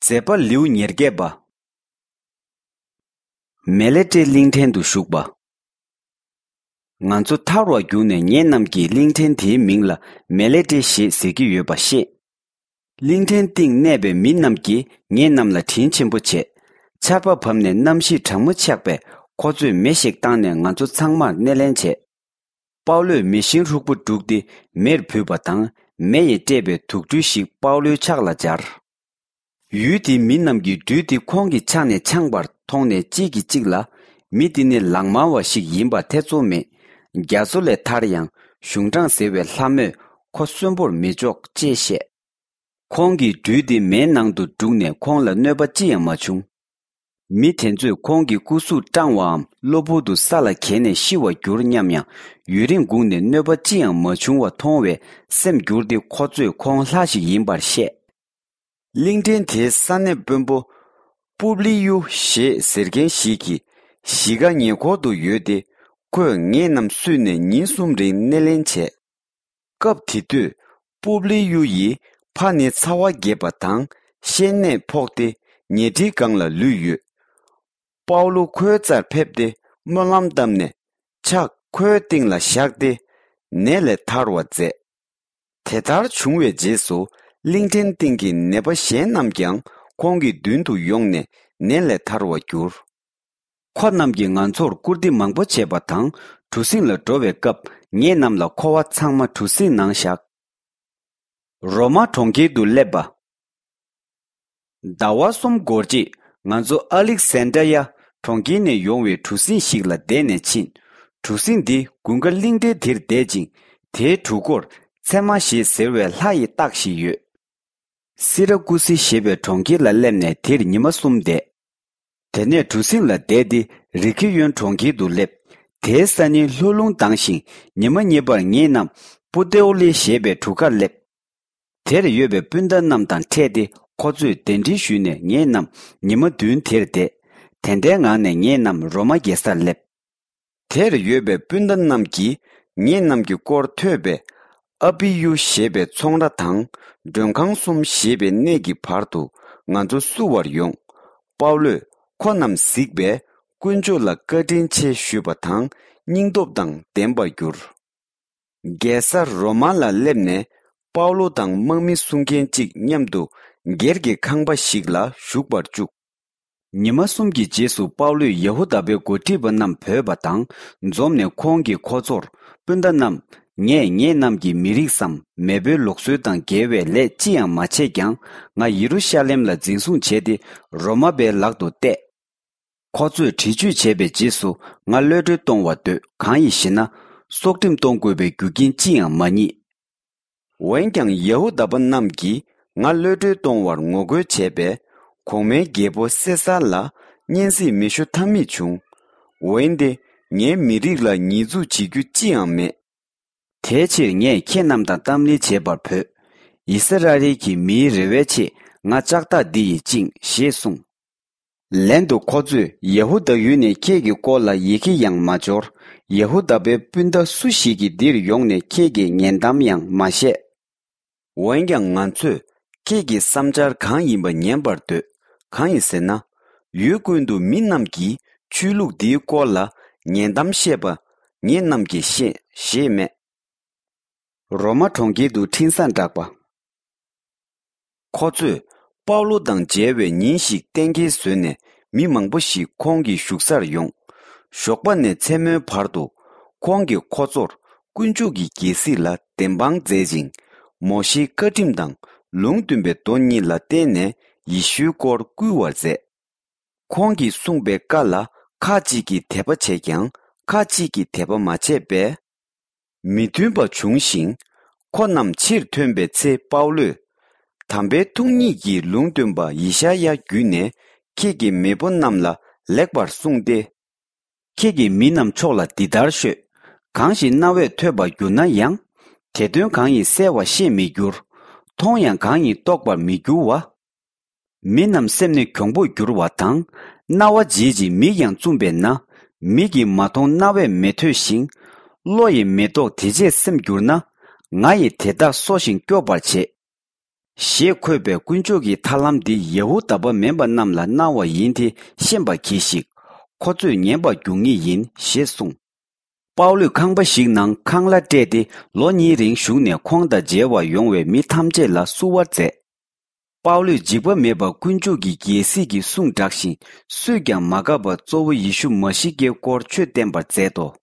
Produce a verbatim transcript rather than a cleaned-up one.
མཛད་པ་ལེའུ་ཉེར་བརྒྱད་པ། མེ་ལེ་ཏྲེ་གླིང་ཕྲན་དུ་བཞུགས་པ། ང་ཚོ་ཐར་བར་གྱུར་ནས་ངེད་རྣམས་ཀྱིས་གླིང་ཕྲན་དེའི་མིང་ལ་མེ་ལེ་ཏྲེ་ཞེས་ཟེར་གྱི་ཡོད་པ་ཤེས། གླིང་ཕྲན་སྟེང་གནས་པའི་མི་རྣམས་ཀྱིས་ངེད་རྣམས་ལ་དྲིན་ཆེན་པོ་བྱས། ཆར་པ་བབས་ནས་གནམ་གཤིས་གྲང་མོ་ཆགས་པས་ཁོ་ཚོས་མེ་ཞིག་བཏང་ནས་ང་ཚོ་ཚང་མར་སྣེ་ལེན་བྱས། པའུ་ལོས་མེ་ཤིང་ཧྲུག་པོ་བསྒྲུགས་ཏེ་མེར་བུས་པ་དང་མེ་ཡིས་སྤྲད་པའི་དུག་སྦྲུལ་ཞིག་པའུ་ལོའི་ཕྱག་ལ་སྦྱར། ཡུལ་དེའི་མི་རྣམས་ཀྱིས་སྦྲུལ་དེ་ཁོང་གི་ཕྱག་ནས་འཕྱངས་པར་མཐོང་ནས་གཅིག་གིས་གཅིག་ལ། མི་འདི་ནི་ལག་དམར་བ་ཞིག་ཡིན་པ་ཐེ་ཚོམ་མེད། རྒྱ་མཚོ་ལས་ཐར་ཡང་གཞུང་དྲང་ཟེར་བའི་ལྷ་མོས་ཁོ་གསོན་པོར་མི་འཇོག་ཅེས་བཤད། ཁོང་གིས་སྦྲུལ་དེ་མེའི་ནང་དུ་བསྒྲུགས་ནས་ཁོང་ལ་གནོད་པ་ཅི་ཡང་མ་བྱུང་། མི་དེ་ཚོས་ཁོང་གི་སྐུ་གཟུགས་སྐྲངས་བའམ་གློ་བུར་དུ་ས་ལ་འགྱེལ་ནས་ཤི་བར་གྱུར་སྙམ་ཡང་ཡུན་རིང་སྒུག་ནས་གནོད་པ་ཅི་ཡང་མ་བྱུང་བ་མཐོང་བས་སེམས་འགྱུར་ཏེ་ཁོ་ཚོས་ཁོང་ལྷ་ཞིག་ཡིན་པར་བཤད། གླིང་ཕྲན་དེའི་ས་གནས་དཔོན་པོ་པུབ་ལི་ཡུ་ཞེས་ཟེར་མཁན་ཞིག་གིས་གཞིས་ཀ་ཉེ་འཁོར་དུ་ཡོད་དེ་ཁོས་ངེད་རྣམས་བསུས་ནས་ཉིན་གསུམ་རིང་སྣེ་ལེན་བྱས། སྐབས་དེ་དུས་པུབ་ལི་ཡུ་ཡི་ཕ་ནི་ཚ་བ་རྒྱས་པ་དང་ཤན་ནད་ཕོག་སྟེ་ཉལ་ཁྲིའི་སྒང་ལ་ལུས་ཡོད། པའུ་ལོ་ཁོའི་རྩར་ཕེབས་ཏེ་སྨོན་ལམ་བཏབ་ནས་ཕྱག་ཁོའི་སྟེང་ལ་བཞག་སྟེ་ནད་ལས་ཐར་བར་མཛད། དེ་ལྟར་བྱུང་བའི་རྗེས་སུ་གླིང་ཕྲན་སྟེང་གི་ནད་པ་གཞན་རྣམས་ཀྱང་ཁོང་གི་མདུན་དུ་ཡོང་ནས་ནད་ལས་ཐར་བར་གྱུར། ཁོ་རྣམས་ཀྱིས་ང་ཚོར་བཀུར་སྟི་མང་པོ་བྱས་པ་དང་གྲུ་གཟིངས་ལ་འགྲོ་བའི་སྐབས་ངེད་རྣམས་ལ་མཁོ་བ་ཚང་མ་གྲུ་གཟིངས་ནང་བཞག། རོ་མ་གྲོང་ཁྱེར་དུ་སླེབས་པ། ཟླ་བ་གསུམ་འགོར་རྗེས་ང་ཚོ་ཨ་ལིག་སན་ཏྲ་ཡ་གྲོང་ཁྱེར་ནས་ཡོང་བའི་གྲུ་གཟིངས་ཤིག་ལ་བསྡད་ནས་ཕྱིན། གྲུ་གཟིངས་འདི་དགུན་ཁ་གླིང་ཕྲན་དེར་བསྡད་ཅིང་དེའི་གྲུ་སྐོར་ཚེར་མ་ཞེས་ཟེར་བའི་ལྷ་ཡི་རྟགས་ཤིག་ཡོད། སི་ར་ཀུ་སི་ཞེས་པའི་གྲོང་ཁྱེར་ལ་སླེབས་ནས་དེར་ཉི་མ་གསུམ་བསྡད། དེ་ནས་གྲུ་གཟིངས་ལ་བསྡད་དེ་རི་ཁི་ཡོན་གྲོང་ཁྱེར་དུ་སླེབས། དེའི་ས་ཉིན་ལྷོ་རླུང་ལྡང་ཞིང་ཉི་མ་གཉིས་པར་ངེད་རྣམས་པུ་ཏེའོ་ལེ་ཞེས་པའི་གྲུ་ཁར་སླེབས། དེར་ཡོད་པའི་སྤུན་ཟླ་རྣམས་དང་འཕྲད་དེ་ཁོ་ཚོས་གདན་འདྲེན་ཞུས་ནས་ངེད་རྣམས་ཉི་མ་བདུན་དེར་བསྡད། དེ་འདྲའི་ངང་ནས་ངེད་རྣམས་རོ་མ་རྒྱལ་སར་སླེབས། དེར་ཡོད་པའི་སྤུན་ཟླ་རྣམས་ཀྱིས་ངེད་རྣམས་ཀྱི་སྐོར་ཐོས་པས་ཨ་པི་ཡུ་ཞེས་པའི་ཚོང་ར་དང་མགྲོན་ཁང་གསུམ་ཞེས་པའི་གནས་ཀྱི་བར་དུ་ང་ཚོ་བསུ་བར་ཡོང་། པའུ་ལོས་ཁོ་རྣམས་གཟིགས་པས་དཀོན་མཆོག་ལ་བཀའ་དྲིན་ཆེ་ཞུས་པ་དང་སྙིང་སྟོབས་དང་ལྡན་པར་གྱུར། རྒྱལ་ས་རོ་མ་ལ་སླེབས་ནས་པའུ་ལོ་དང་དམག་མི་སྲུང་མཁན་གཅིག་མཉམ་དུ་སྒེར་གྱི་ཁང་པ་ཞིག་ལ་བཞུགས་པར་བཅུག། ཉི་མ་གསུམ་གྱི་རྗེས་སུ་པའུ་ལོས་ཡ་ཧུ་དཱ་པའི་འགོ་ཁྲིད་པ་རྣམས་བོས་པ་དང་འཛོམས་ནས་ཁོང་གིས་ཁོ་ཚོར། སྤུན་ཟླ་རྣམས། ངས་ངེད་རྣམས་ཀྱི་མི་རིགས་སམ་མེས་པོའི་ལུགས་སྲོལ་དང་འགལ་བའི་ལས་ཅི་ཡང་མ་བྱས་ཀྱང་ང་ཡེ་རུ་ཤ་ལེམ་ལ་འཛིན་བཟུང་བྱས་ཏེ་རོ་མ་པའི་ལག་ཏུ་གཏད། ཁོ་ཚོས་འདྲི་གཅོད་བྱས་པའི་རྗེས་སུ་ང་གློད་གྲོལ་གཏོང་བར་འདོད། གང་ཡིན་ཞེ་ན། སྲོག་ཁྲིམས་གཏོང་དགོས་པའི་རྒྱུ་རྐྱེན་ཅི་ཡང་མ་རྙེད། འོན་ཀྱང་ཡ་ཧུ་དཱ་པ་རྣམས་ཀྱིས་ང་གློད་གྲོལ་གཏོང་བར་ངོ་རྒོལ་བྱས་པས་གོང་མའི་རྒྱལ་པོ་སེ་སར་ལ་སྙན་སེང་མི་ཞུ་ཐབས་མེད་བྱུང་། འོན་ཏེ་ངའི་མི་རིགས་ལ་ཉེས་འཛུགས་བྱེད་རྒྱུ་ཅི་ཡང་མེད། དེའི་ཕྱིར་ངས་ཁྱེད་རྣམས་དང་གཏམ་གླེང་བྱེད་པར་བོས། ཨིསི་ར་ཨེལ་གྱི་མིའི་རེ་བའི་ཆེད་ང་ལྕགས་ཐག་འདི་ཡིས་བཅིངས་ཞེས་གསུངས། ལན་དུ་ཁོ་ཚོས་ཡ་ཧུ་དཱ་ཡུལ་ནས་ཁྱེད་ཀྱི་སྐོར་ལ་ཡི་གེ་ཡང་མ་འབྱོར། ཡ་ཧུ་དཱ་པའི་སྤུན་ཟླ་སུ་ཞིག་གིས་འདིར་ཡོང་ནས་ཁྱེད་ཀྱི་ཉེ་འདམ་ཡང་མ་བཤད། འོན་ཀྱང་ང་ཚོས་ཁྱེད་ཀྱི་བསམ་འཆར་གང་ཡིན་པ་ཉན་པར་འདོད། གང་ཡིན་ཟེར་ན། ཡུལ་ཀུན་ཏུ་མི་རྣམས་ཀྱིས་ཆོས་ལུགས་འདིའི་སྐོར་ལ་ཉེ་འདམ་བཤད་པ་ངེད་རྣམས་ཀྱིས་ཤེས་ཞེས་སྨྲས། རོ་མ་གྲོང་ཁྱེར་དུ་འཕྲིན་བཟང་བསྒྲགས་པ། ཁོ་ཚོས་པའུ་ལོ་དང་མཇལ་བའི་ཉིན་ཞིག་གཏན་འཁེལ་བཟོས་ནས་མི་མང་པོ་ཞིག་ཁོང་གི་བཞུགས་སར་ཡོང་། ཞོགས་པ་ནས་མཚན་མོའི་བར་དུ་ཁོང་གིས་ཁོ་ཚོར་དཀོན་མཆོག་གི་རྒྱལ་སྲིད་ལ་བདེན་དཔང་མཛད་ཅིང་། མོ་ཤེའི་བཀའ་ཁྲིམས་དང་ལུང་སྟོན་པའི་མདོ་གཉིས་ལ་བརྟེན་ནས་ཡེ་ཤུའི་སྐོར་བསྐུལ་བར་མཛད། ཁོང་གིས་གསུངས་པའི་བཀའ་ལ་ཁ་ཅིག་གིས་དད་པ་བྱས་ཀྱང་ཁ་ཅིག་གིས་དད་པ་མ་བྱས་པས། མི་མཐུན་པ་བྱུང་ཞིང་། ཁོ་རྣམས་ཕྱིར་ཐོན་པའི་ཚེ་པའུ་ལོས། དམ་པའི་ཐུགས་ཉིད་ཀྱིས་ལུང་སྟོན་པ་ཡེ་ཤ་ཡ་བརྒྱུད་ནས་ཁྱེད་ཀྱི་མེས་པོ་རྣམས་ལ་ལེགས་པར་གསུངས་ཏེ། ཁྱེད་ཀྱིས་མི་རྣམས་ཕྱོགས་ལ་འདི་ལྟར་ཤོད། གང་ཞིག་རྣ་བས་ཐོས་པར་གྱུར་ན་ཡང་། དེ་དོན་གང་ཡིན་གསལ་བར་ཤེས་མི་འགྱུར། མཐོང་ཡང་གང་ཡིན་རྟོགས་པར་མི་འགྱུར་བ། མི་རྣམས་སེམས་ནི་གྱོང་པོར་འགྱུར་བ་དང་། རྣ་བ་འབྱེད་ཅིང་མིག་ཡང་བཙུམས་པས་ན། མིག་གིས་མ་མཐོང་རྣ་བས་མི་ཐོས་ཤིང་། བློ་ཡིས་མི་རྟོགས་དེ་རྗེས་སེམས་འགྱུར་ན། ང་ཡིས་དེ་དག་གསོ་ཞིང་སྐྱོབ་པར་བྱེད། ཞེས་འཁོད་པའི་དཀོན་མཆོག་གི་ཐར་ལམ་འདི་ཡ་ཧུ་དཱ་པ་མིན་པ་རྣམས་ལ་གནང་བ་ཡིན་དེ་ཤེས་པར་གྱིས་ཤིག། ཁོ་ཚོས་ཉན་པར་འགྱུར་ངེས་ཡིན་ཞེས་གསུངས། པའུ་ལུས་ཁང་པ་ཞིག་ནང་ཁང་གླ་སྤྲད་དེ་ལོ་གཉིས་རིང་བཞུགས་ནས་ཁོང་དང་མཇལ་བར་ཡོང་བའི་མི་ཐམས་ཅད་ལ་བསུ་བ་མཛད། པའུ་ལུས་འཇིགས་པ་མེད་པར་དཀོན་མཆོག་གི་རྒྱལ་སྲིད་ཀྱི་གསུང་བསྒྲགས་ཤིང་སུས་ཀྱང་མ་དགའ་བར་གཙོ་བོ་ཡེ་ཤུ་མ་ཤི་ཀའི་སྐོར་ཆོས་བསྟན་པར་མཛད་དོ།